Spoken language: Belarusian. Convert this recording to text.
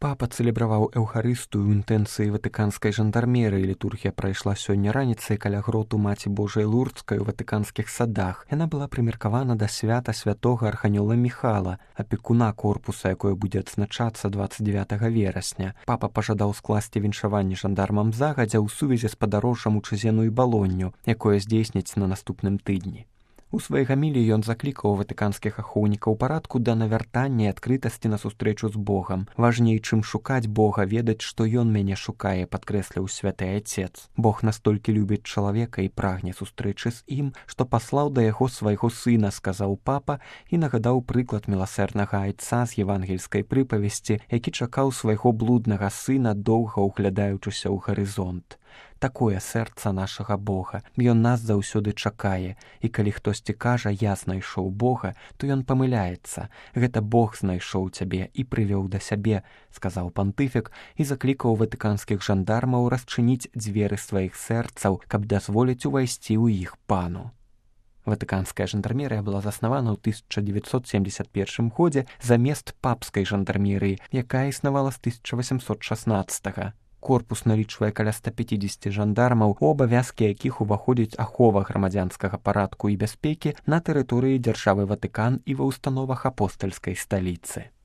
Папа цэлебраваў эўхарыстыю ў інтэнцыі ватыканскай жандармерыі. Літургія прайшла сёння раніцай каля гроту Маці Божай Лурдскай у ватыканскіх садах. Яна была прымеркавана да свята святога арханёла Міхала, апекуна корпуса, якое будзе адзначацца 29 верасня. Папа пажадаў скласці віншаванне жандармам загадзя ў сувязі з падарожжам у Чэзену і Балонню, якое здзейсніць на наступным тыдні. У сваёй гаміліі ён заклікаў ватыканскіх ахоўнікаў парадку да навяртання і адкрытасці на сустрэчу з Богам. Важней, чым шукаць Бога, ведаць, што ён мяне шукае, падкрэсліў святы Айцец. Бог настолькі любіць чалавека і прагне сустрэчы з ім, што паслаў да яго свайго сына, сказаў папа і нагадаў прыклад міласэрнага айца з евангельскай прыпавесці, які чакаў свайго блуднага сына, доўга ўглядаючыся ў гарызонт. Такое сэрца нашага Бога. Ён нас заўсёды чакае. І калі хтосьці кажа, я знайшоў Бога, то ён памыляецца. Гэта Бог знайшоў цябе і прывёў да сябе, сказаў пантыфік і заклікаў ватыканскіх жандармаў расчыніць дзверы сваіх сэрцаў, каб дазволіць увайсці ў іх пану. Ватыканская жандармерыя была заснавана ў 1971 годзе замест папскай жандармерыі, якая існавала з 1816. Корпус налічвае каля 150 жандармаў, у абавязкі якіх уваходзіць ахова грамадзянскага парадку і бяспекі на тэрыторыі дзяржавы Ватыкан і ва ўстановах апостальскай сталіцы.